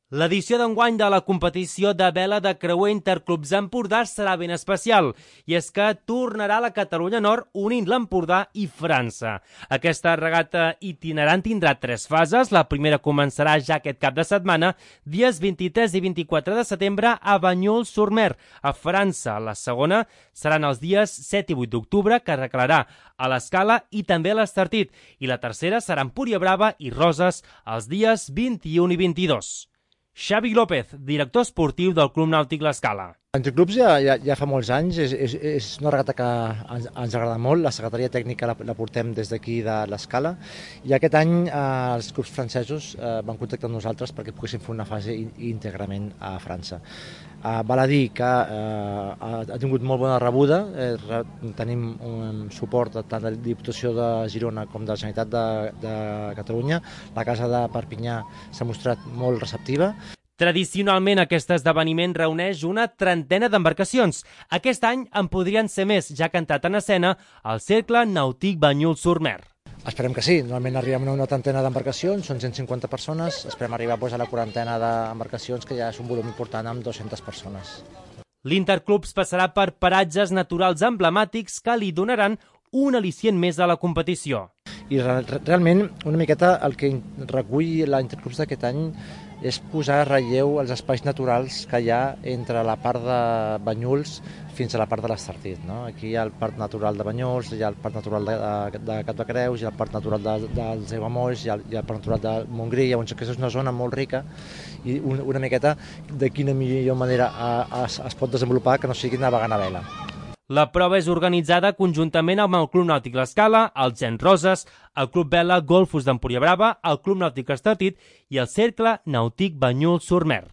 L'edició d'enguany de la competició de vela de creuer Interclubs Empordà serà ben especial, i és que tornarà a la Catalunya Nord unint l'Empordà i França. Aquesta regata itinerant tindrà 3 fases. La primera començarà ja aquest cap de setmana, dies 23 i 24 de setembre a Bagnols-sur-Mer, a França. La segona seran els dies 7 i 8 d'octubre, que reclarà a l'Escala i també a l'Estartit. I la tercera serà en Empuriabrava i Roses els dies 21 i 22. Xavi López, director esportiu del Club Nàutic l'Escala. Interclubs ja fa molts anys, és una regata que ens agrada molt, la secretaria tècnica la portem des d'aquí de l'Escala, i aquest any els clubs francesos van contactar amb nosaltres perquè poguéssim fer una fase íntegrament a França. Val a dir que ha tingut molt bona rebuda, tenim un suport tant de la Diputació de Girona com de la Generalitat de Catalunya, la Casa de Perpinyà s'ha mostrat molt receptiva. Tradicionalment, aquest esdeveniment reuneix una trentena d'embarcacions. Aquest any en podrien ser més, ja que ha entrat en escena el Cercle Nàutic Bagnols-sur-Mer. Esperem que sí, normalment arribem a una trentena d'embarcacions, són 150 persones, esperem arribar a la quarantena d'embarcacions, que ja és un volum important amb 200 persones. L'Interclubs passarà per paratges naturals emblemàtics que li donaran un al·licient més a la competició. I realment, una miqueta el que recull l'Interclubs d'aquest any és posar en relleu els espais naturals que hi ha entre la part de Banyols fins a la part de l'Estartit. Aquí hi ha el Parc Natural de Banyols, hi ha el Parc Natural de Cap de Creus, hi ha el Parc Natural dels Aiguamolls, hi ha el Parc Natural de Montgrí, llavors aquesta és una zona molt rica i una miqueta de quina millor manera es pot desenvolupar que no sigui navegant a vela. La prova és organitzada conjuntament amb el Club Nàutic l'Escala, el Gen Roses, el Club Vela Golfos d'Empuriabrava, el Club Nàutic Estartit i el Cercle Nàutic Bagnols-sur-Mer.